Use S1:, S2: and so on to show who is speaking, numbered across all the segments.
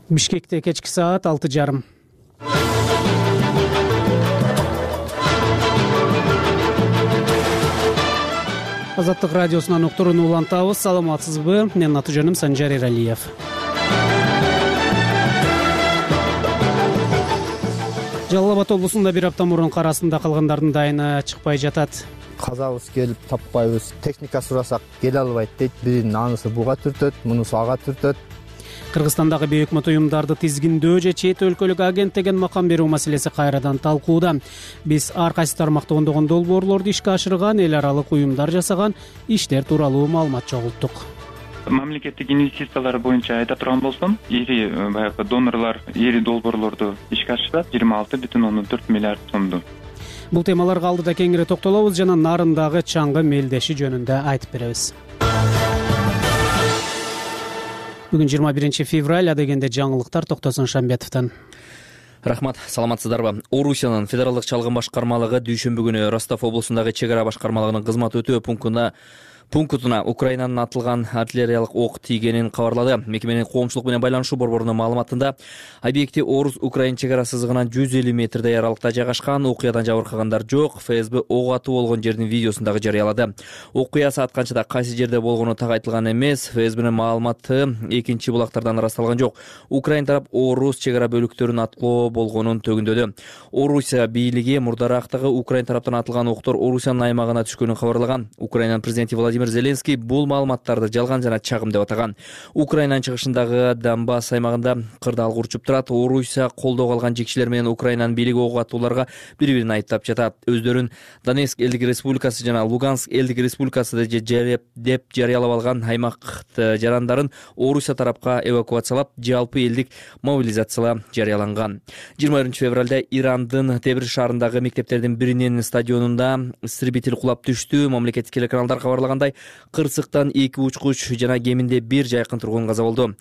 S1: Бишкекте кечки саат 6:30. Азаттык радиосунан уктурууну улантабыз. Саламатсызбы? Менин аты-жөнүм Санжар Эралиев. Жалал Абад облусунда бир апта мурун кар астында калгандардын дайыны чыкпай жатат.
S2: Казабыз келип таппайбыз, техника сурасак келе албайт дейт. Биринин анысы буга түртөт, мунусу ага түртөт.
S1: Кыргызстандагы бейөкмөт уюмдарды тизгиндөө же чет өлкөлүк агент деген макам берүү маселеси кайрадан талкууда. Биз ар кайсы тармакта ондогон долбоорлорду ишке ашырган, эл аралык уюмдар жасаган иштер тууралуу маалымат чогулттук.
S3: Мамлекеттик инвестициялар боюнча айта турган болсом, ири баягы донорлор ири долбоорлорду ишке ашырат 26,4 миллиард сомду.
S1: Бул темаларга алдыда кеңири токтолобуз жана Нарындагы чаңгы мелдеши жөнүндө айтып беребиз. Бүгүн 21 февраль, адегенде жаңылыктар Токтосун Шамбетовдон.
S4: Рахмат, саламатсыздарбы? Орусиянын федералдык чалгын башкармалыгы дүйшөмбү күнү Ростов облусундагы чек ара башкармалыгынын кызмат өтөө пунктуна Украинанын атылган артиллериялык ок тийгенин кабарлады. Мекеменин коомчулук менен байланышуу борборунун маалыматында объекти Орус-Украин чек ара сызыгынан 150 метрдей аралыкта жайгашкан. Окуядан жабыркагандар жок. ФСБ ок атуу болгон жердин видеосун дагы жарыялады. Окуя саат канчада кайсы жерде болгону так айтылган эмес. ФСБнин маалыматы экинчи булактардан ырасталган жок. Украин тарап Орус чек ара бөлүктөрүн аткылоо болгонун төгүндөдү. Орусия бийлиги мурдарактагы Украин тараптан атылган октор Орусиянын аймагына түшкөнүн кабарлаган. Украинанын президенти Владимир Зеленский бул маалыматтарды жалган жана чагым деп атаган. Украинанын чыгышындагы Донбасс аймагында кырдаал урчуп турат. Орусия колдоого алган жекчилер менен Украинанын бийлиги ок атууларга бири-бирин айыптап жатат. Өздөрүн Донецк элдик республикасы жана Луганск элдик республикасы деп жарыялап алган аймакты жарандарын Орусия тарапка эвакуациялап, жалпы элдик мобилизациялоо жарыяланган. 21 февралда Ирандын Тебриз шаарындагы мектептердин биринин стадионунда истребитель кулап түштү. Мамлекеттик телеканалдар кабарлагандай, кырсыктан 2 учкуч жана кеминде 1 жайкын тургун каза болду.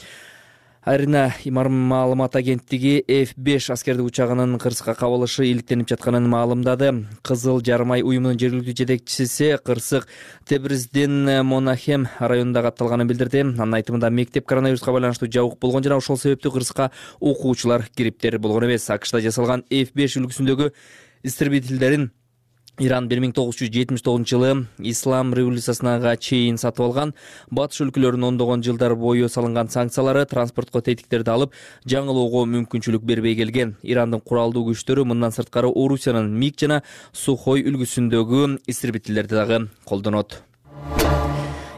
S4: Айрына маалымат агенттиги F5 аскердик учагынын кырсыкка кабылышы иликтенип жатканын маалымдады. Кызыл Жармай уюмунун жергиликтүү жетекчиси кырсык Тебриздин Монахем районунда катталганын билдирди. Анын айтымында мектеп коронавируска байланыштуу жабык болгон жана ошол себептүү кырсыкка окуучулар кириптер болгон эмес. АКШда жасалган F5 үлгүсүндөгү истребительдерин Иран 1979-жылы Ислам революциясына чейин сатып алган. Батыш өлкөлөрүнүн ондогон жылдар бою салынган санкциялары транспортко тетиктерди алып, жаңылоого мүмкүнчүлүк бербей келген. Ирандын куралдуу күчтөрү мындан сырткары Орусиянын МиГ жана Сухой үлгүсүндөгү истребительдерди дагы колдонот.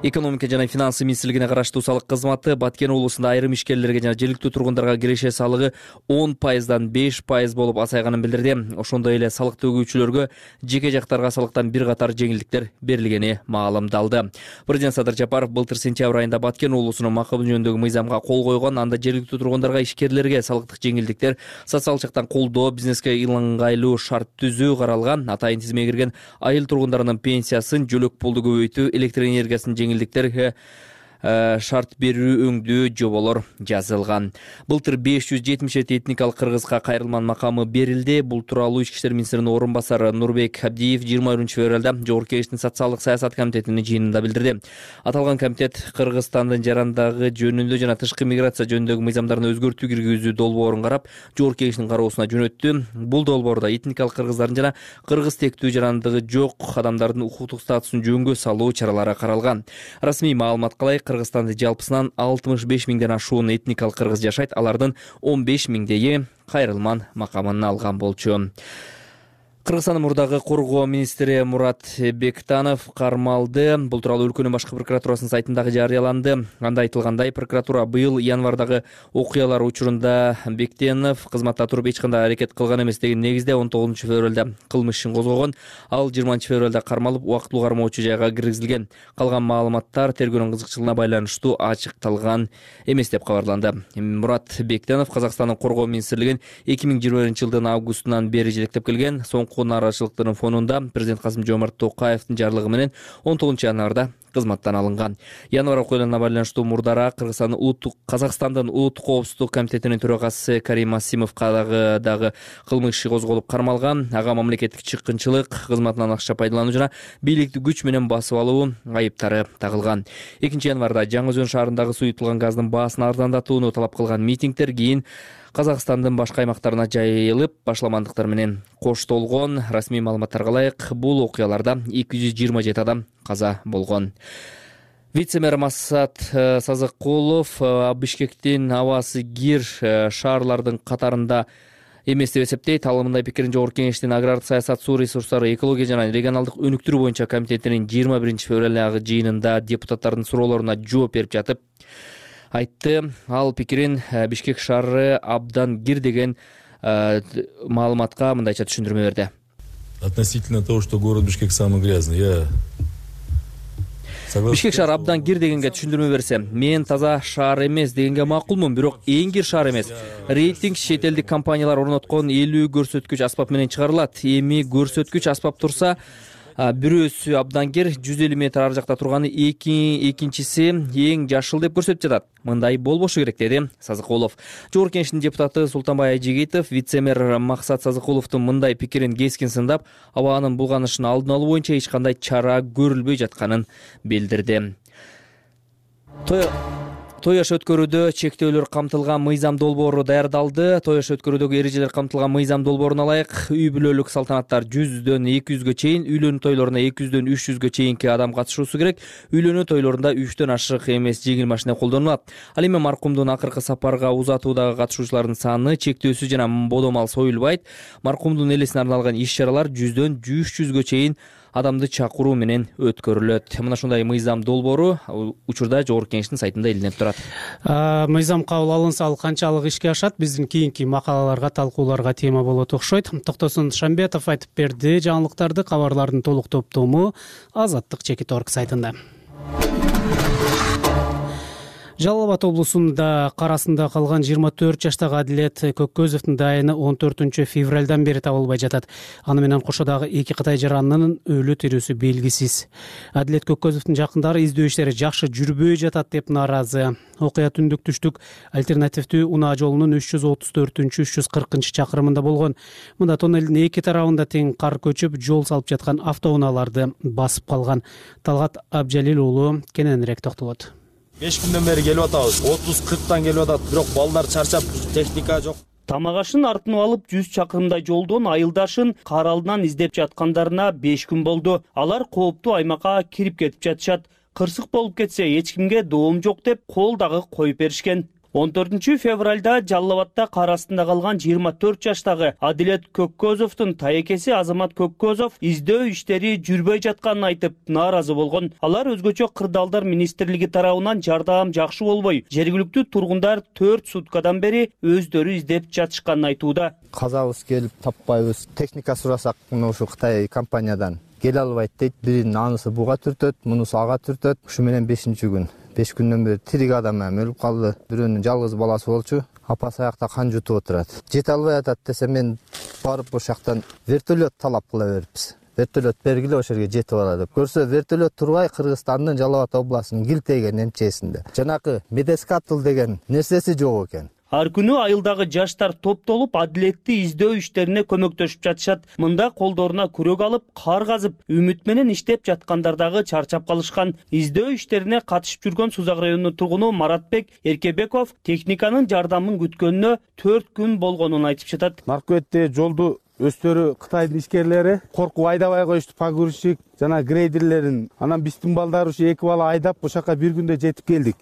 S4: Экономика жана финансы министрлигине караштуу салык кызматы Баткен облусунда айрым ишкерлерге жана жергиликтүү тургундарга киреше салыгы 10%дан 5% болуп азайганын билдирди. Ошондой эле салык төгүүчүлөргө жеке жактарга салыктан бир катар жеңилдиктер берилгени маалымдалды. Президент Садыр Жапаров былтыр сентябрь айында Баткен облусунун макабы жөнүндөгү мыйзамга кол койгон. Анда жергиликтүү тургундарга, ишкерлерге салыктык жеңилдиктер, социалдык жактан колдоо, бизнеске ыңгайлуу шарт түзүү каралган. Атайын тизимге кирген айыл тургундарынын пенсиясын, жөлөк пулду көбөйтүү, электр энергиясын жеңилдиктерге шарт берүү өңдүү жоболор жазылган. Былтыр 577 этникалык кыргызга кайрылман макамы берилди. Бул тууралуу Ички иштер министринин орун басары Нурбек Абдиев 21 февралда Жогорку Кеңештин социалдык саясат комитетинин жыйынында билдирди. Аталган комитет Кыргызстандын жарандагы жөнүндө жана тышкы миграция жөнүндөгү мыйзамдарына өзгөртүү киргизүү долбоорун карап, Жогорку Кеңештин кароосуна жөнөттү. Бул долбоордо этникалык кыргыздардын жана кыргыз тектүү жарандыгы жок адамдардын укуктук статусун жөнгө салуу чаралары каралган. Расмий маалыматка ылайык, Кыргызстанда жалпысынан 65 миңден ашуун этникалык кыргыз жашайт. Алардын 15 миңдейи кайрылман макамын алган болчу. Кыргызстандын мурдагы коргоо министри Мурат Бектанов кармалды. Бул тууралуу өлкөнүн башкы прокуратурасынын сайтындагы жарыяланды. Анда айтылгандай, прокуратура быйыл январдагы окуялар учурунда Бектенов кызматта туруп эч кандай аракет кылган эмес деген негизде 19 февралда кылмыш ишин козгогон. Ал 20 февралда кармалып, убактылуу кармоочу жайга киргизилген. Калган маалыматтар тергөөнүн кызыкчылыгына байланыштуу ачыкталган эмес деп кабарланды. Мурат Бектенов Казакстандын коргоо министрлигин 2021-жылдын августунан бери жетектеп келген. Соңку нааразычылыктын фонунда президент Касым Жомарт Токаевдин жарлыгы менен 19 январда кызматтан алынган. Январь окуяларына байланыштуу мурдара Казакстандын улуттук коопсуздук комитетинин төрагасы Карим Асимовго дагы кылмыш иши козголуп кармалган. Ага мамлекеттик чыккынчылык, кызматынан акча пайдалануу жана бийликти күч менен басып алуу айыптары тагылган. 2-январда Жаңы Өзөн шаарындагы суютулган газдын баасын арзандатууну талап кылган митингдер кийин Казакстандын башка аймактарына жайылып, башламандыктар менен коштолгон. Расмий маалыматтарга ылайык, бул окуяларда 227 адам каза болгон. Вице-мэр Массат Сазыкулов Бишкектин абасы кир шаарлардын катарында эмес деп эсептейт. Ал мындай пикирин Жогорку Кеңештин агрардык саясат, суу ресурстары, экология жана регионалдык өнүктүрүү боюнча комитетинин 21-февралдагы жыйынында депутаттардын суроолоруна жооп берип жатып айтты. Ал пикирин Бишкек шаары абдан кир деген маалыматка мындайча түшүндүрмө берди.
S5: Относительно того, что город Бишкек самый грязный,
S4: Бишкек шаары абдан кир дегенге түшүндүрмө берсе, мен таза шаар эмес дегенге макулмун, бирок эң кир шаар эмес. Рейтинг чет элдик компаниялар орноткон 50 көрсөткүч аспап менен чыгарылат. Эми көрсөткүч аспап турса, бирөөсү абдан кир, 150 метр ар жакта турганы экинчиси эң жашыл деп көрсөтүп жатат. Мындай болбошу керек, деди Сазыкулов. Жогорку Кеңештин депутаты Султанбай Айжигитов вице-мэр Максат Сазыкуловдун мындай пикирин кескин сындап, абанын булганышын алдын алуу боюнча эч кандай чара көрүлбөй жатканын билдирди. Той аш өткөрүүдө чектөөлөр камтылган мыйзам долбоору даярдалды. Той аш өткөрүүдөгү эрежелер камтылган мыйзам долбооруна ылайык үй бүлөлүк салтанаттар 100дөн 200гө чейин, үйлөнүү тойлоруна 200дөн 300гө чейинки адам катышуусу керек. Үйлөнүү тойлорунда 3төн ашык эмес жеңил машина колдонулат. Ал эми маркумдун акыркы сапарга узатуудагы катышуучулардын саны чектөөсүз жана бодомал союлбайт. Маркумдун элесине арналган иш-чаралар 100дөн 300гө чейин адамды чакыруу менен өткөрүлөт. Мына ушундай мыйзам долбоору учурда Жогорку Кеңештин сайтында илинип турат.
S1: Мыйзам кабыл алынса, ал канчалык ишке ашат? Биздин кийинки макалаларга, талкууларга тема болот окшойт. Токтосун Шамбетов айтып берди. Жаңылыктарды, кабарлардын толук топтому Азаттык Чекит.org сайтында. Жалал Абад облусунда карасында калган 24 жаштагы Адилет Көккөзовдун дайыны 14 февралдан бери табылбай жатат. Аны менен кошо дагы 2 кытай жаранынын өлү тирүүсү белгисиз. Адилет Көккөзовдун жакындары издөө иштери жакшы жүрбөй жатат деп нааразы. Окуя түндүк түштүк альтернативдүү унаа жолунун 334-340 чакырымында болгон. Мында тоннелдин эки тарабында тең кар көчүп, жол салып жаткан автоунааларды басып калган. Талгат Абжалил уулу кененирээк токтолот.
S6: 5 күндөн бери келип атабыз. 30-40тан келип атат, бирок балдар чарчап, техника жок.
S7: Тамагашын артынып алып 100 чакырымдай жолдон айылдашын кар алдынан издеп жаткандарына 5 күн болду. Алар кооптуу аймакка кирип кетип жатышат. Кырсык болуп кетсе эч кимге доом жок деп кол дагы коюп беришкен. 14 февралда Жалал Абадта кар астында калган 24 жаштагы Адилет Көккөзовдун тайекеси Азамат Көккөзов издөө иштери жүрбөй жатканын айтып нааразы болгон. Алар өзгөчө кырдаалдар министрлиги тарабынан жардам жакшы болбой, жергиликтүү тургундар 4 суткадан бери өздөрү издеп жатышканын айтууда.
S2: Казабыз келип таппайбыз. Техника сурасак, ушу Кытай компаниядан келе албайт дейт. Биринин анысы буга түртөт, мунусу ага түртөт. Ушу менен 5-күн. 5 күндөн бери тирик адам өлүп калды. Бирөөнүн жалгыз баласы болчу. Апасы аякта кан жутуп отурат. Жете албай атат десе, мен барып ошол жактан вертолет талап кыла бериппиз. Вертолет бергиле, ошол жерге жетип алат деп. Көрсө вертолет турбай, Кыргызстандын Жалал Абад областынын Килтеген эмчесинде. Жанакы медескатл деген нерсеси жок экен.
S7: Ар күнү айылдагы жаштар топтолуп Адилетти издөө иштерине көмөктөшүп жатышат. Мында колдоруна күрөк алып, кар казып, үмүт менен иштеп жаткандар дагы чарчап калышкан. Издөө иштерине катышып жүргөн Сузак районунун тургуну Маратбек Эркебеков техниканын жардамын күткөнүнө 4 күн болгонун айтып жатат.
S8: Маркетте жолду өздөрү Кытайдын ишкерлери коркуп айдабай коюшту, погрузчик жана грейдерлерин. Анан биздин балдар ушу 2 бала айдап ошакка бир күндө жетип келдик.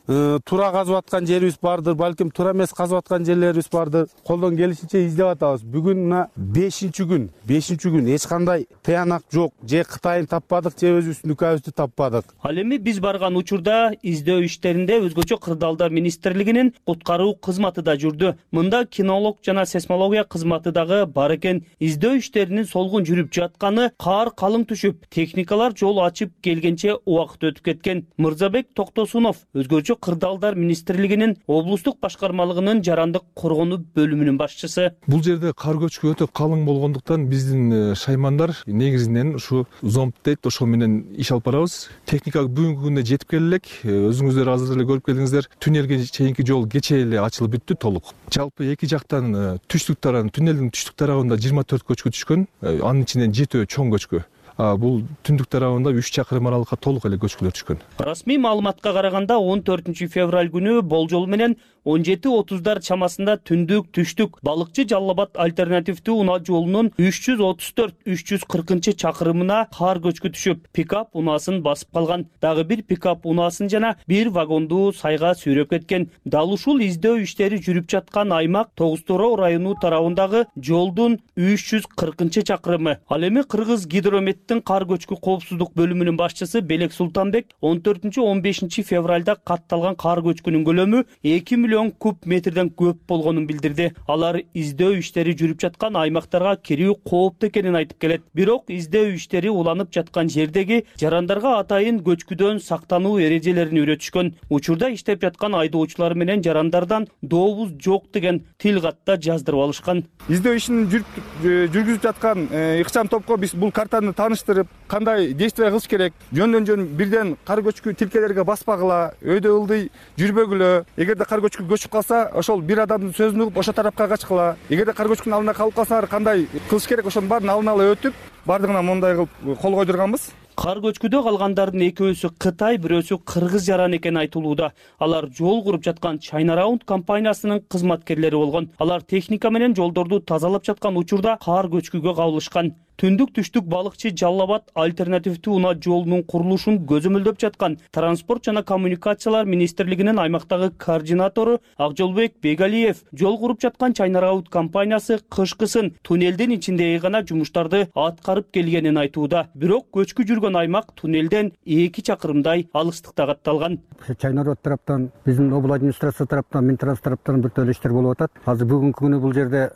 S8: Тура казып аткан жерибиз бардыр, балким тура эмес казып аткан жерлерибиз бардыр. Колдон келишинче издеп атабыз. Бүгүн мына 5-күн. 5-күн эч кандай тыянак жок. Же Кытайын таппадык, же өзүбүздүн үкөбүздү таппадык.
S7: Ал эми биз барган учурда издөө иштеринде өзгөчө кырдаалдар министрлигинин куткаруу кызматы да жүрдү. Мында кинолог жана сейсмология кызматы дагы бар экен. Издөө иштеринин солгун жүрүп жатканы, кар калың түшүп, техника техникалар жол ачып келгенче убакыт өтүп кеткен. Мырзабек Токтосунов өзгөчө кырдаалдар министрлигинин облустук башкармалыгынын жарандык коргонуу бөлүмүнүн башчысы.
S5: Бул жерде кар көчкү өтө калың болгондуктан биздин шаймандар негизинен ушу зомб дейт, ошол менен иш алып барабыз. Техника бүгүнкү күндө жетип келе элек. Өзүңүздөр азыр эле көрүп келдиңиздер. Туннелге чейинки жол кечээ эле ачылып бүттү толук. Жалпы эки жактан түштүк тарабын, туннелдин түштүк тарабында 24 көчкү түшкөн. Анын ичинен 7 чоң көчкү. Бул түндүк тарабында 3 чакырым аралыкка толук эле көчкүлөр түшкөн.
S7: Расмий маалыматка караганда 14 февраль күнү болжол менен 17:30 чамасында түндүк түштүк Балыкчы Жалал Абад альтернативдүү унаа жолунун 334-340 чакырымына кар көчкү түшүп, пикап унаасын басып калган. Дагы бир пикап унаасын жана бир вагонду сайга сүйрөп кеткен. Дал ушул издөө иштери жүрүп жаткан аймак Тогуз Торо району тарабындагы жолдун 340 чакырымы. Ал эми Кыргыз Гидрометтин кар көчкү коопсуздук бөлүмүнүн башчысы Белек Султанбек 14-15 февралда катталган кар көчкүнүн көлөмү 2 миллион куб метрден көп болгонун билдирди. Алар издөө иштери жүрүп жаткан аймактарга кирүү кооптуу экенин айтып келет. Бирок издөө иштери уланып жаткан жердеги жарандарга атайын көчкүдөн сактануу эрежелерин үйрөтүшкөн. Учурда иштеп жаткан айдоочулар менен жарандардан дообуз жок деген тил катта жаздырып алышкан.
S9: Издөө ишин жүргүзүп жаткан ыкчам топко биз бул картаны тааныштырып, кандай действия кылыш керек, жөндөн-жөн бирден кар көчкү тилкелерге баспагыла, өйдө ылдый жүрбөгүлө. Эгерде кар көчкү көчүп калса, ошол бир адамдын сөзүн угуп ошол тарапка качкыла. Эгерде кар көчкүнүн алдында калып калсаңар, кандай кылыш керек, ошонун баарын алын ала өтүп, бардыгына мондай кылып кол койдурганбыз.
S7: Кар көчкүдө калгандардын экөөсү Кытай, бирөөсү кыргыз жаран экени айтылууда. Алар жол куруп жаткан China Round компаниясынын кызматкерлери болгон. Алар техника менен жолдорду тазалап жаткан учурда кар көчкүгө кабылышкан. Түндүк түштүк Балыкчы Жалал Абад альтернативдүү унаа жолунун курулушун көзөмөлдөп жаткан Транспорт жана коммуникациялар министрлигинин аймактагы координатору Акжолбек Бегалиев жол куруп жаткан China Round компаниясы кышкысын туннелдин ичиндеги гана жумуштарды аткарып келгенин айтууда. Бирок көчкү жүргөн аймак туннелден 2 чакырымдай алыстыкта катталган.
S10: China Round тараптан, биздин обл администрация тараптан, Минтранс тараптан бир төлөй иштер болуп атат. Азыр бүгүнкү күнү бул жерде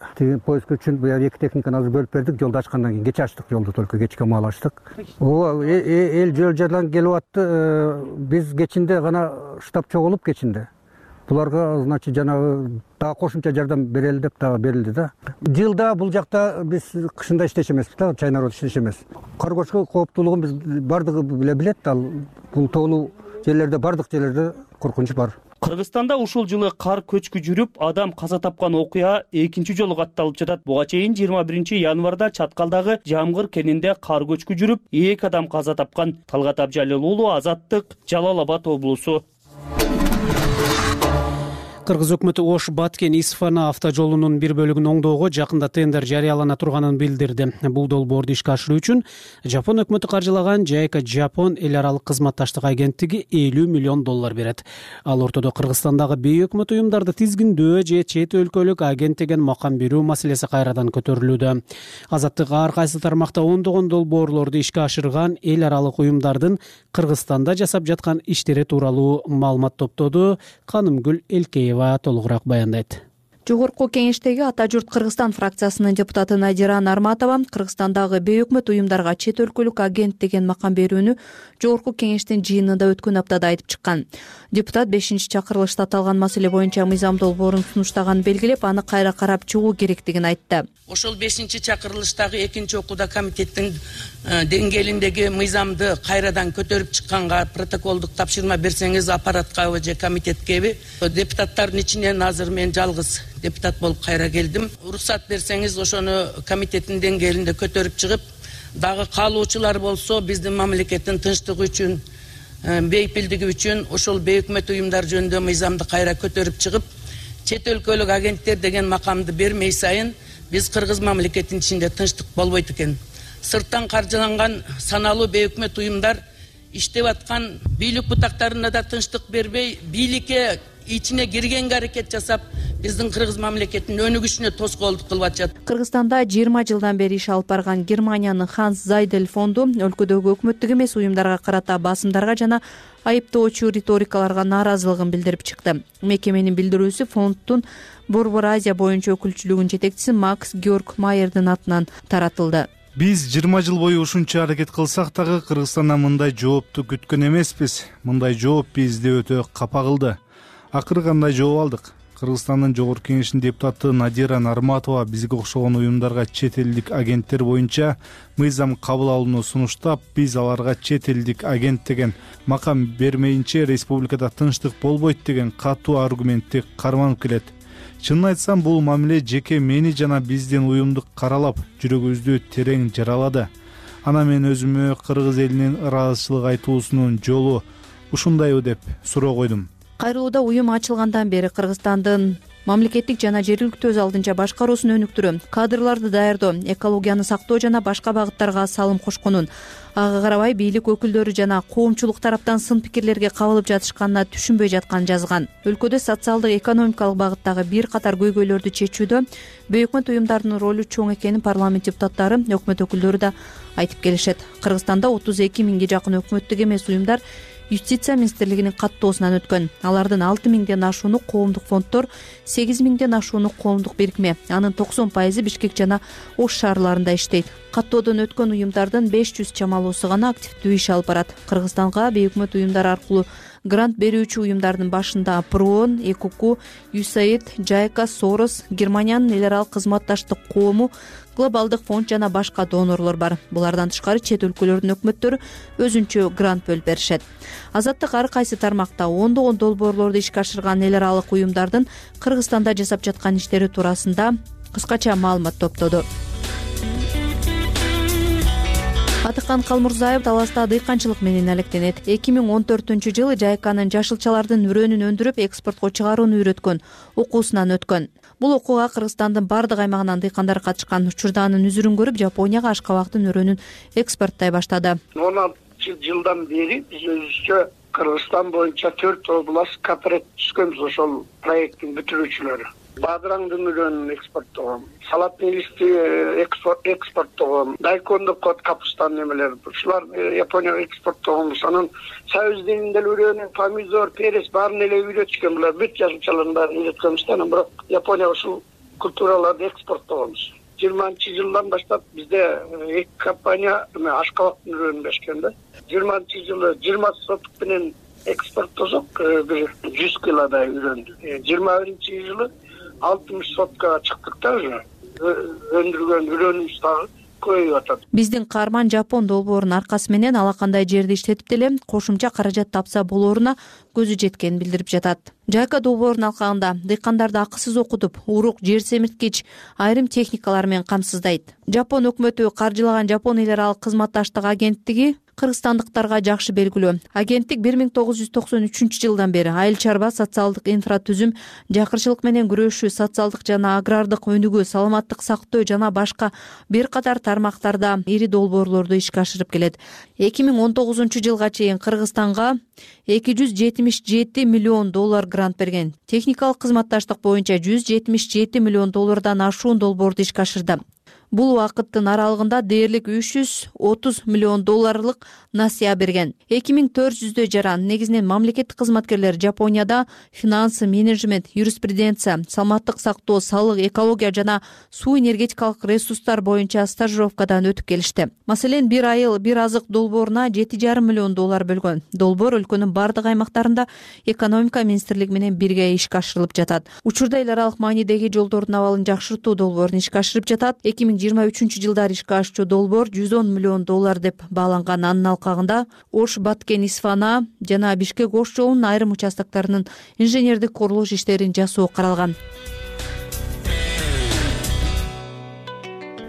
S10: поиск үчүн буга 2 техниканы азыр бөлүп бердик, жолду ачкандан кийин. Кече ачтык жолду, только кечке маал ачтык. Эл жол жардан келип атты. Биз кечинде гана штаб чогулуп кечинде. Буларга, значит, жанагы дагы кошумча жардам берели деп дагы берилди да. Жылда бул жакта биз кышында иштеше эмеспиз да, China Road иштеше эмес. Кар көчкү кооптуулугун биз бардыгы билет. Ал бул тоолуу жерлерде, бардык жерлерде коркунуч бар.
S7: Кыргызстанда ушул жылы кар көчкү жүрүп, адам каза тапкан окуя экинчи жолу катталып жатат. Буга чейин 21 январда Чаткалдагы Жамгыр кенинде кар көчкү жүрүп, 2 адам каза тапкан. Талгат Абжалил уулу, Азаттык, Жалал Абад облусу.
S1: Кыргыз өкмөтү Ош-Баткен Исфана автожолунун бир бөлүгүн оңдоого жакында тендер жарыялана турганын билдирди. Бул долбоорду ишке ашыруу үчүн Жапон өкмөтү каржылаган Жайка Жапон эл аралык кызматташтык агенттиги $50 миллион берет. Ал ортодо Кыргызстандагы бейөкмөт уюмдарды тизгиндөө же чет өлкөлүк агент деген макам берүү маселеси кайрадан көтөрүлүүдө. Азаттык ар кайсы тармакта ондогон долбоорлорду ишке ашырган эл аралык уюмдардын Кыргызстанда жасап жаткан иштери тууралуу маалымат топтоду. Канымгүл Элкеева толугураак баяндайт.
S11: Жогорку кеңештеги Ата журт Кыргызстан фракциясынын депутаты Надира Нарматова Кыргызстандагы бейөкмөт уюмдарга чет өлкөлүк агент деген макам берүүнү Жогорку кеңештин жыйынында өткөн аптада айтып чыккан. Депутат 5-чакырылышта аталган маселе боюнча мыйзам долбоорун сунуштаганын белгилеп, аны кайра карап чыгуу керектигин айтты.
S12: Ошол 5-чакырылыштагы 2-окууда комитеттин деңгээлиндеги мыйзамды кайрадан көтөрүп чыкканга протоколдук тапшырма берсеңиз аппараткабы же комитеткеби? Депутаттардын ичинен азыр мен жалгыз депутат болуп кайра келдим. Уруксат берсеңиз ошону комитеттин деңгээлинде көтөрүп чыгып, дагы каалоочулар болсо биздин мамлекеттин тынчтыгы үчүн, бейпилдиги үчүн ошол бейөкмөт уюмдар жөнүндө мыйзамды кайра көтөрүп чыгып, чет өлкөлүк агенттер деген макамды бермей сайын биз Кыргыз мамлекетинин ичинде тынчтык болбойт экен. Сырттан каржыланган саналуу бейөкмөт уюмдар иштеп аткан бийлик бутактарына да тынчтык бербей, бийликке ичине киргенге аракет жасап, биздин Кыргыз мамлекетинин өнүгүшүнө тоскоолдук кылып атышат.
S11: Кыргызстанда 20 жылдан бери иш алып барган Германиянын Ханс Зайдель фонду өлкөдөгү өкмөттүк эмес уюмдарга карата басымдарга жана айыптоочу риторикаларга нааразылыгын билдирип чыкты. Мекеменин билдирүүсү фонддун Борбор Азия боюнча өкүлчүлүгүнүн жетекчиси Макс Георг Майердин атынан таратылды.
S13: Биз 20 жыл бою ушунча аракет кылсак дагы Кыргызстандан мындай жоопту күткөн эмеспиз. Мындай жооп бизди өтө капа кылды. Акыры кандай жооп алдык? Кыргызстандын Жогорку Кеңешинин депутаты Надира Нарматова бизге окшогон уюмдарга чет элдик агенттер боюнча мыйзам кабыл алууну сунуштап, биз аларга чет элдик агент деген макам бермейинче республикада тынчтык болбойт деген катуу аргументти карманып келет. Чынын айтсам, бул мамиле жеке мени жана биздин уюмду каралап, жүрөгүбүздү терең жаралады. Ана мен өзүмө кыргыз элинин ыраазычылык айтуусунун жолу ушундайбы деп суроо койдум.
S11: Кайрылууда уюм ачылгандан бери Кыргызстандын мамлекеттик жана жергиликтүү өз алдынча башкаруусун өнүктүрүү, кадрларды даярдоо, экологияны сактоо жана башка багыттарга салым кошконун, ага карабай бийлик өкүлдөрү жана коомчулук тараптан сын пикирлерге кабылып жатышканына түшүнбөй жатканын жазган. Өлкөдө социалдык экономикалык багыттагы бир катар көйгөйлөрдү чечүүдө бейөкмөт уюмдардын ролу чоң экенин парламент депутаттары, өкмөт өкүлдөрү да айтып келишет. Кыргызстанда 32 миңге жакын өкмөттүк эмес уюмдар Юстиция министрлигинин каттоосунан өткөн. Алардын 6 миңден ашууну коомдук фонддор, 8 миңден ашууну коомдук бирикме. Анын 90% Бишкек жана Ош шаарларында иштейт. Каттоодон өткөн уюмдардын 500 чамалуусу гана активдүү иш алып барат. Кыргызстанга бейөкмөт уюмдар аркылуу грант берүүчү уюмдардын башында ПРООН, ЭКУК, USAID, JICA, Soros, Германиянын эл аралык кызматташтык коому, Глобалдык фонд жана башка донорлор бар. Булардан тышкары чет өлкөлөрдүн өкмөттөрү өзүнчө грант бөлүп беришет. Азаттык ар кайсы тармакта ондогон долбоорлорду ишке ашырган эл аралык уюмдардын Кыргызстанда жасап жаткан иштери туурасында кыскача маалымат топтоду. Атыкан Калмурзаев Таласта дыйканчылык менен алектенет. 2014-жылы JICAнын жашылчалардын үрөнүн өндүрүп экспортко чыгарууну үйрөткөн окуусунан өткөн. Бул окууга Кыргызстандын бардык аймагынан дыйкандар катышкан. Учурда анын үзүрүн көрүп, Жапонияга ашкабактын үрөнүн экспорттой баштады.
S14: 16 жылдан бери биз өзүбүзчө Кыргызстан боюнча 4 область кооператив түзгөнбүз, ошол проекттин бүтүрүүчүлөрү. Бадыраңдын үрөнүн экспорттогон, салатный листи экспорттогон, дайкондук кот капустанын эмелери, ушулар Японияга экспорттогонбуз. Анан сабиздин деле үрөнү, помидор, перец баарын эле үйрөтүшкөн, булар бүт жашылчалардын баарын үйрөткөнбүз да, анан бирок Японияга ушул культураларды экспорттогонбуз. 20-жылдан баштап бизде 2 компания ашкабактын үрөнүн беришкен да. 20-жылы 20 сотук менен экспорттосок, бир 100 килодай үрөндү. 21-жылы 60 сотка чыктык да, уже өндүргөн үрөнүбүз дагы көбөйүп атат.
S11: Биздин каарман Жапон долбоорунун аркасы менен алакандай жерди иштетип деле кошумча каражат тапса болооруна көзү жеткенин билдирип жатат. JICA долбоорунун алкагында дыйкандарды акысыз окутуп, урук, жер семирткич, айрым техникалар менен камсыздайт. Жапон өкмөтү каржылаган Жапон эл аралык кызматташтык агенттиги кыргызстандыктарга жакшы белгилүү. Агенттик 1993-жылдан бери айыл чарба, социалдык инфратүзүм, жакырчылык менен күрөшүү, социалдык жана агрардык өнүгүү, саламаттык сактоо жана башка бир катар тармактарда ири долбоорлорду ишке ашырып келет. 2019-жылга чейин Кыргызстанга $277 миллион грант берген. Техникалык кызматташтык боюнча $177 миллион ашуун долбоорду ишке ашырды. Бул убакыттын аралыгында дээрлик $330 миллион насыя берген. 2400 жаран, негизинен мамлекеттик кызматкерлер Жапонияда финансы, менеджмент, юриспруденция, саламаттык сактоо, салык, экология жана суу энергетикалык ресурстар боюнча стажировкадан өтүп келишти. Маселен, бир айыл, бир азык долбооруна $7,5 миллион бөлгөн. Долбоор өлкөнүн бардык аймактарында экономика министрлиги менен бирге ишке ашырылып жатат. Учурда эл аралык маанидеги жолдордун абалын жакшыртуу долбоорун ишке ашырып жатат. 2023-жылдары ишке ашчу долбоор $110 миллион деп бааланган. Анын алкагында Ош, Баткен, Исфана жана Бишкек Ош жолунун айрым участоктарынын инженердик курулуш иштерин жасоо каралган.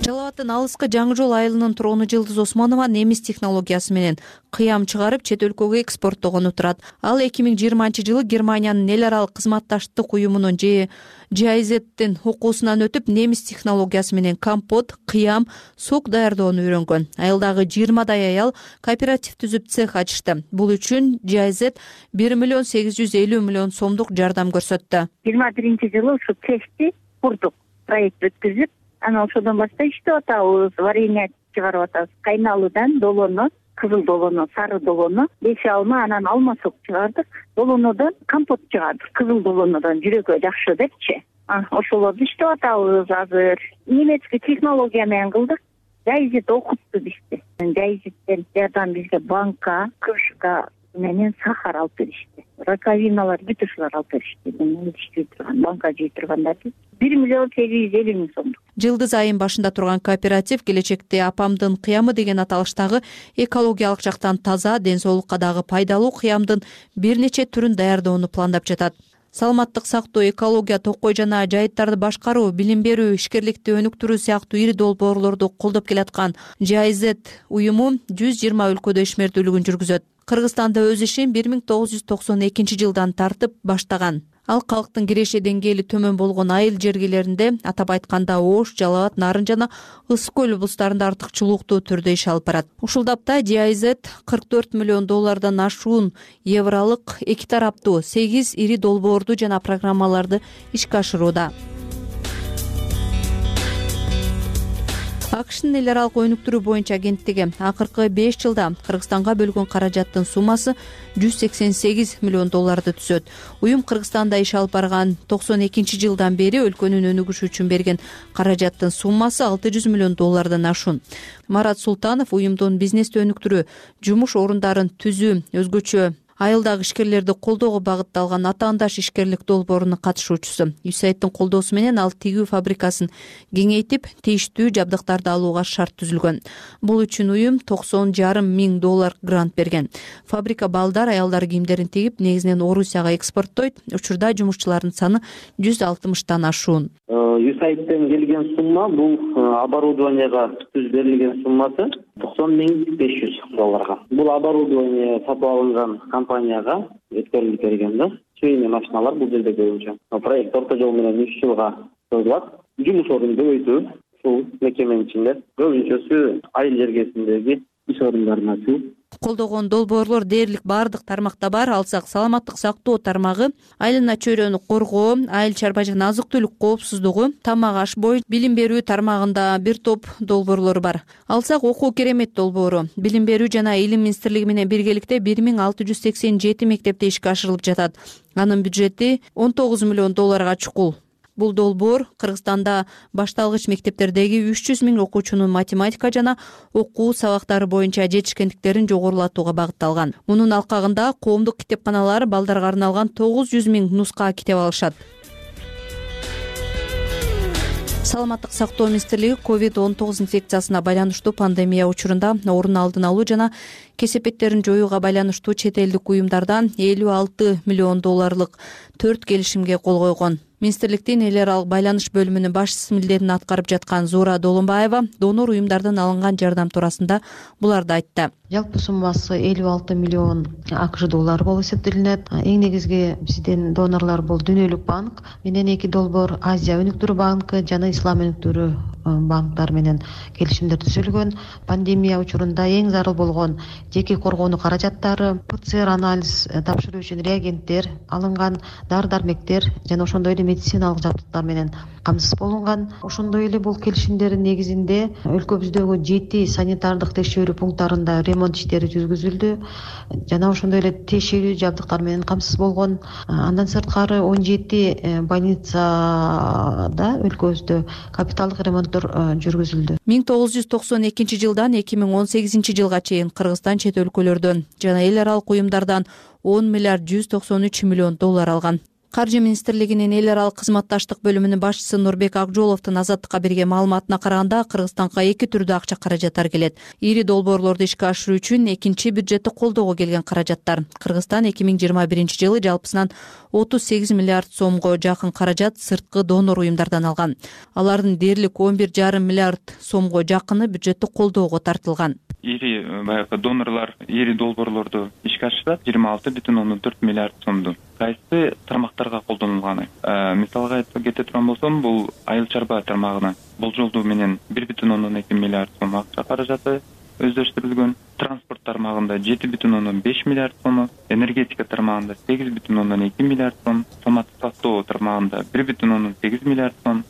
S11: Жалал Абадтын алыскы Жаңы жол айылынын тургуну Жылдыз Осмонова немис технологиясы менен кыям чыгарып чет өлкөгө экспорттогону турат. Ал 2020-жылы Германиянын эл аралык кызматташтык уюмунун GIZ-тин окуусунан өтүп, немис технологиясы менен компот, кыям, сок даярдоону үйрөнгөн. Айылдагы 20дай аял кооператив түзүп цех ачышты. Бул үчүн GIZ $1,850 миллион жардам көрсөттү.
S15: 21-жылы ушу цехти курдук, проект өткүзүп, анан ошодон баштап иштеп атабыз, варенье чыгарып атабыз. Кайналуудан долону, кызыл долону, сары долону, 5 алма, анан алма сок чыгардык. Долонодон компот чыгардык. Кызыл долонодон жүрөгө жакшы депчи. Ошолорду иштеп атабыз азыр. Немецкий технология менен кылдык. Жайзет окутту бизди. Жайзеттен жардам бизге банка, крышка менен сахар алып беришти. Раковиналар бүт ушулар алып беришти. Иштей турган банка жей тургандарды 1,850,000 сом.
S11: Жылдыз айын башында турган кооператив келечекте апамдын кыямы деген аталыштагы экологиялык жактан таза, ден соолукка дагы пайдалуу кыямдын бир нече түрүн даярдоону пландап жатат. Саламаттык сактоо, экология, токой жана жайыттарды башкаруу, билим берүү, ишкерликти өнүктүрүү сыяктуу ири долбоорлорду колдоп келаткан GIZ уюму 120 өлкөдө ишмердүүлүгүн жүргүзөт. Кыргызстанда өз ишин 1992 жылдан тартып баштаган. Ал калктын киреше деңгээли төмөн болгон айыл жергелеринде, атап айтканда Ош, Жалал Абад, Нарын жана Ысык көл облустарында артыкчылыктуу түрдө иш алып барат. Ушул тапта GIZ $44 миллион ашуун евролук эки тараптуу 8 ири долбоорду жана программаларды ишке ашырууда. АКШнын эл аралык өнүктүрүү боюнча агенттиги акыркы 5 жылда Кыргызстанга бөлгөн каражаттын суммасы $188 миллион түзөт. Уюм Кыргызстанда иш алып барган 92 жылдан бери өлкөнүн өнүгүшү үчүн берген каражаттын суммасы $600 миллион ашуун. Марат Султанов уюмдун бизнести өнүктүрүү, жумуш орундарын түзүү, өзгөчө айылдагы ишкерлерди колдоого багытталган атаандаш ишкерлик долбоорунун катышуучусу. USAIDтин колдоосу менен ал тигүү фабрикасын кеңейтип, тийиштүү жабдыктарды алууга шарт түзүлгөн. Бул үчүн уюм $90,5 миң грант берген. Фабрика балдар, аялдар кийимдерин тигип, негизинен Орусияга экспорттойт. Учурда жумушчулардын саны 160 ашуун.
S16: USAIDтен келген сумма бул оборудованияга түз берилген суммасы $90,500. Бул оборудование сатып алынган компанияга өткөрүлүп берген да. Чейин машиналар бул жерде көбүнчө. Проект орто жол менен 3 жылга созулат. Жумуш ордун көбөйтүү ушул мекеменин ичинде көбүнчөсү айыл жергесиндеги иш орундарына түзүү.
S11: Колдогон долбоорлор дээрлик бардык тармакта бар. Алсак саламаттык сактоо тармагы, айлана чөйрөнү коргоо, айыл чарба жана азык-түлүк коопсуздугу, тамак аш бою, билим берүү тармагында бир топ долбоорлор бар. Алсак окуу керемет долбоору, билим берүү жана илим министрлиги менен биргеликте 1687 мектепте ишке ашырылып жатат. Анын бюджети $19 миллион чукул. Бул долбоор Кыргызстанда башталгыч мектептердеги 300 миң окуучунун математика жана окуу сабактары боюнча жетишкендиктерин жогорулатууга багытталган. Мунун алкагында коомдук китепканалар балдарга арналган 900 миң нуска китеп алышат. Саламаттык сактоо министрлиги COVID-19 инфекциясына байланыштуу пандемия учурунда орун алдын алуу жана кесепеттерин жоюуга байланыштуу чет элдик уюмдардан $56 миллион 4 келишимге кол койгон. Министрликтин эл аралык байланыш бөлүмүнүн башчысы милдетин аткарып жаткан Зура Долунбаева донор уюмдардан алынган жардам туурасында буларды айтты.
S17: Жалпы суммасы $56 миллион АКШ болуп эсептелинет. Эң негизги биздин донорлор бул Дүйнөлүк банк менен 2 долбоор, Азия өнүктүрүү банкы жана Ислам өнүктүрүү банктар менен келишимдер түзүлгөн. Пандемия учурунда эң зарыл болгон жеке коргонуу каражаттары, ПЦР анализ тапшыруу үчүн реагенттер алынган, дары-дармектер жана ошондой эле медициналык жабдыктар менен камсыз болунган. Ошондой эле бул келишимдердин негизинде өлкөбүздөгү 7 санитардык текшерүү пункттарында ремонт иштери жүргүзүлдү жана ошондой эле тиешелүү жабдыктар менен камсыз болгон. Андан сырткары 17 больницада өлкөбүздө капиталдык ремонттор жүргүзүлдү.
S11: 1992 жылдан 2018 жылга чейин Кыргызстан чет өлкөлөрдөн жана эл аралык уюмдардан $10,193 миллион алган. Каржы министрлигинин эл аралык кызматташтык бөлүмүнүн башчысы Нурбек Акжоловдун Азаттыкка берген маалыматына караганда, Кыргызстанга 2 түрдө акча каражаттар келет. Ири долбоорлорду ишке ашыруу үчүн экинчи бюджетти колдоого келген каражаттар. Кыргызстан 2021 жылы жалпысынан 38 миллиард сомго жакын каражат сырткы донор уюмдардан алган. Алардын дээрлик 11,5 миллиард сомго жакыны бюджетти колдоого тартылган.
S3: Ири донорлор ири долбоорлорду ишке ашырат 26,4 миллиард сомду. Кайсы тармактарга колдонулганы? Мисалга айтып кете турган болсом, бул айыл чарба тармагына болжолдуу менен 1,2 миллиард сом акча каражаты өздөштүрүлгөн. Транспорт тармагында 7,5 миллиард сом, энергетика тармагында 8,2 миллиард сом, саламаттык сактоо тармагында 1,8 миллиард сом,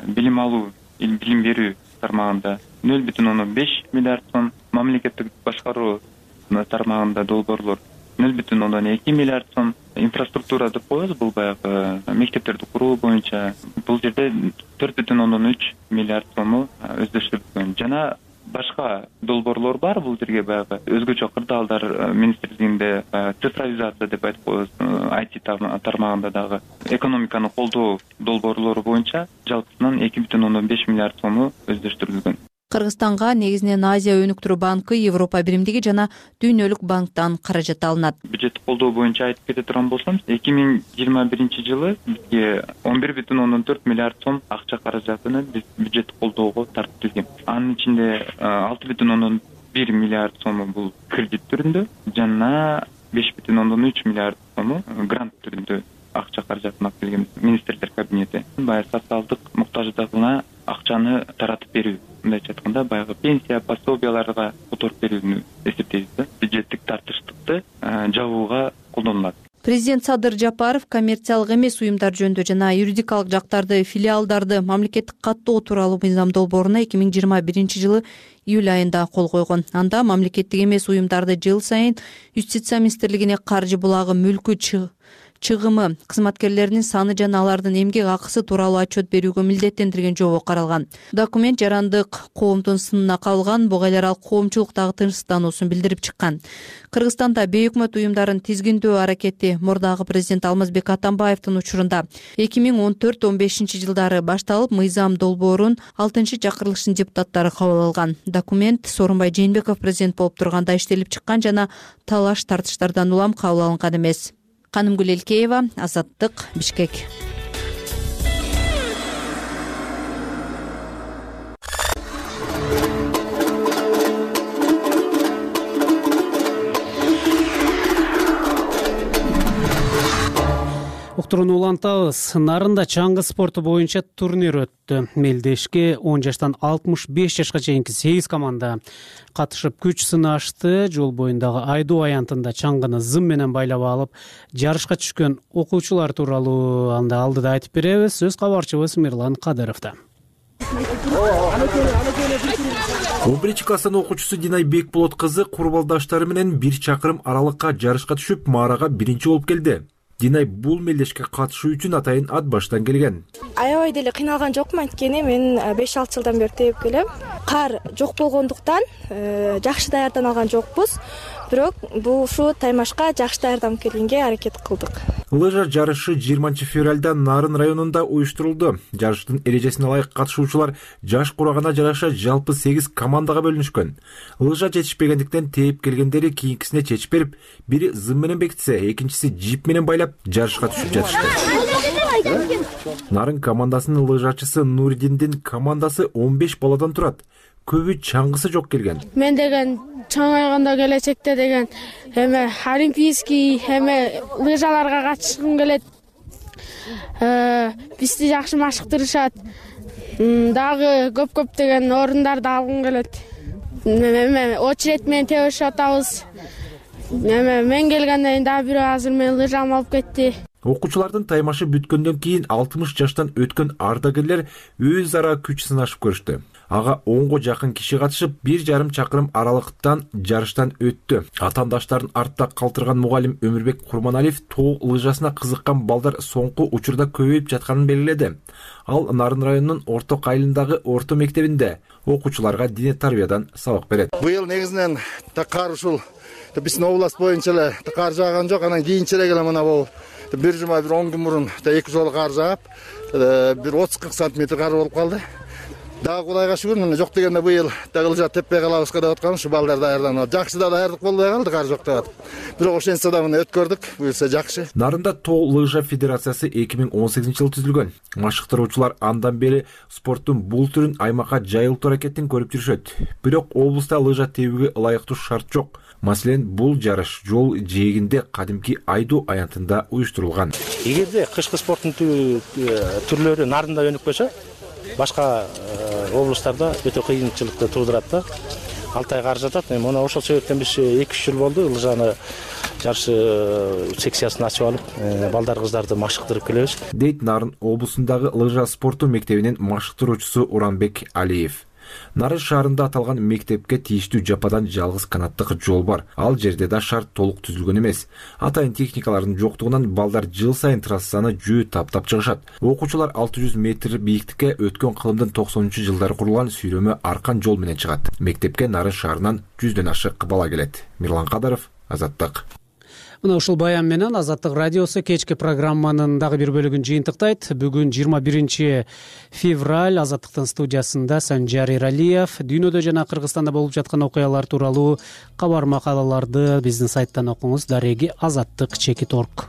S3: билим алуу, билим берүү тармагында 0,5 миллиард сом, мамлекеттик башкаруу тармагында долбоорлор 0,2 миллиард сом, инфраструктура деп коебуз, бул баягы мектептерди куруу боюнча бул жерде 4,3 миллиард сому өздөштүрүлгөн. Жана башка долбоорлор бар бул жерге баягы өзгөчө кырдаалдар министрлигинде цифровизация деп айтып коебуз, IT тармагында дагы экономиканы колдоо долбоорлору боюнча жалпысынан 2,5 миллиард сому өздөштүрүлгөн.
S11: Кыргызстанга негизинен Азия өнүктүрүү банкы, Европа биримдиги жана Дүйнөлүк банктан каражат алынат.
S3: Бюджеттик колдоо боюнча айтып кете турган болсом, 2021 жылы бизге 11,4 миллиард сом акча каражатыны биз бюджеттик колдоого тартып. Анын ичинде 6,1 миллиард сому бул кредит түрүндө жана 5,3 миллиард сому грант түрүндө акча каражатын алып келген министрлер кабинети. Баягы социалдык муктаждыгына акчаны таратып берүү, мындайча айтканда баягы пенсия, пособияларга которуп берүүнү эсептейбиз. Бюджеттик тартыштыкты жабууга колдонулат.
S11: Президент Садыр Жапаров коммерциялык эмес уюмдар жөнүндө жана юридикалык жактарды, филиалдарды мамлекеттик каттоо тууралуу мыйзам долбооруна 2021 жылы июль айында кол койгон. Анда мамлекеттик эмес уюмдарды жыл сайын Юстиция министрлигине каржы булагы, мүлкү чыгымы, кызматкерлеринин саны жана алардын эмгек акысы тууралуу отчет берүүгө милдеттендирген жобо каралган. Документ жарандык коомдун сынына кабылган, буга ылайык ал коомчулуктагы тынчсыздануусун билдирип чыккан. Кыргызстанда бейөкмөт уюмдарын тизгиндөө аракети мурдагы президент Алмазбек Атамбаевдин учурунда 2014-15 жылдары башталып, мыйзам долбоорун 6-чакырылыштын депутаттары кабыл алган. Документ Сооронбай Жээнбеков президент болуп турганда иштелип чыккан жана талаш тартыштардан улам кабыл алынган эмес. Канымгүл Элкеева, Азаттык, Бишкек.
S1: Уктурууну улантабыз. Нарында чаңгы спорту боюнча турнир өттү. Мелдешке 10 жаштан 65 жашка чейинки 8 команда катышып күч сынашты. Жол боюндагы Айдоо аянтында чаңгыны зым менен байлап алып, жарышка түшкөн окуучулар тууралуу анда алдыда айтып беребиз. Сөз кабарчыбыз Мирлан Кадыровдо.
S18: 11 класстын окуучусу Динай Бекболот кызы курбалдаштары менен 1 чакырым аралыкка жарышка түшүп, маарага биринчи болуп келди. Динай бул мелдешке катышуу үчүн атайын ат баштан келген.
S19: Аябай деле кыйналган жокмун, анткени мен 5-6 жылдан бери теуп келем. Кар жок болгондуктан жакшы даярданалган жокпуз. Бирок бул ушу таймашка жакшы даярданып келгенге аракет кылдык.
S18: Лыжа жарышы 20 февралда Нарын районунда уюштурулду. Жарыштын эрежесине ылайык катышуучулар жаш курагына жараша жалпы 8 командага бөлүнүшкөн. Лыжа жетишпегендиктен теип келгендери кийинкисине чечип берип, бири зым менен бекитсе, экинчиси жип менен байлап жарышка түшүп жатышты. Нарын командасынын лыжачысы Нурдиндин командасы 15 баладан турат. Көбү чаңгысы жок келген.
S20: Мен деген чаңайганда келечекте деген олимпийский лыжаларга катышкым келет. Бизди жакшы машыктырышат. Дагы көп деген орундарды алгым келет. Очеред менен тебишип атабыз. Мен келгенден кийин дагы бирөө азыр мени лыжамды алып кетти.
S18: Окуучулардын таймашы бүткөндөн кийин 60 жаштан өткөн ардагерлер өз ара күч сынашып көрүштү. Ага 10го жакын киши катышып, 1,5 чакырым аралыктан жарыштан өттү. Атандаштарын артта калтырган мугалим Өмүрбек Курманалиев тоо лыжасына кызыккан балдар соңку учурда көбөйүп жатканын белгиледи. Ал Нарын районунун Орто Кайылындагы орто мектебинде окуучуларга дине тарбиядан сабак берет.
S21: Быйыл негизинен кар ушул биздин область боюнча эле кар жааган жок, анан кийинчерээк эле мына бул бир жума 10 күн мурун 2 жолу кар жаап, бир 30-40 сантиметр кар болуп калды. Дагы Кудайга шүгүр, мына жок дегенде быйыл дагы лыжа теппей калабызга деп аткан, ушу балдар даярданып. Жакшы да даярдык болбой калды, кар жок деп атып. Бирок ошентсе да мына өткөрдүк, буюрса жакшы.
S18: Нарында тоо лыжа федерациясы 2018 жылы түзүлгөн. Машыктыруучулар андан бери спорттун бул түрүн аймакка жайылтуу аракетин көрүп жүрүшөт. Бирок облуста лыжа тебүүгө ылайыктуу шарт жок. Маселен, бул жарыш жол жээгинде кадимки Айдоо аянтында уюштурулган.
S22: Эгерде кышкы спорттун түрлөрү Нарында өнүкпөсө, башка облустарда өтө кыйынчылыкты туудурат да. 6 ай кар жатат. Мына ошол себептен биз 2-3 жыл болду лыжаны жарыш секциясын ачып алып, балдар кыздарды машыктырып келебиз.
S18: Дейт Нарын облусундагы лыжа спорту мектебинин машыктыруучусу Уранбек Алиев. Нарын шаарында аталган мектепке тийиштүү жападан жалгыз канаттык жол бар. Ал жерде да шарт толук түзүлгөн эмес. Атайын техникалардын жоктугунан балдар жыл сайын трассаны жөө таптап чыгышат. Окуучулар 600 метр бийиктикке өткөн кылымдын 90-жылдары курулган сүйрөмө аркан жол менен чыгат. Мектепке Нарын шаарынан 100дөн ашык бала келет. Мирлан Кадаров, Азаттык.
S1: Мына ушул баян менен Азаттык радиосу кечки программанын дагы бир бөлүгүн жыйынтыктайт. Бүгүн 21 февраль Азаттыктын студиясында Санжар Эралиев дүйнөдө жана Кыргызстанда болуп жаткан окуялар тууралуу кабар макалаларды биздин сайттан окуңуз. Дареги Азаттык /org.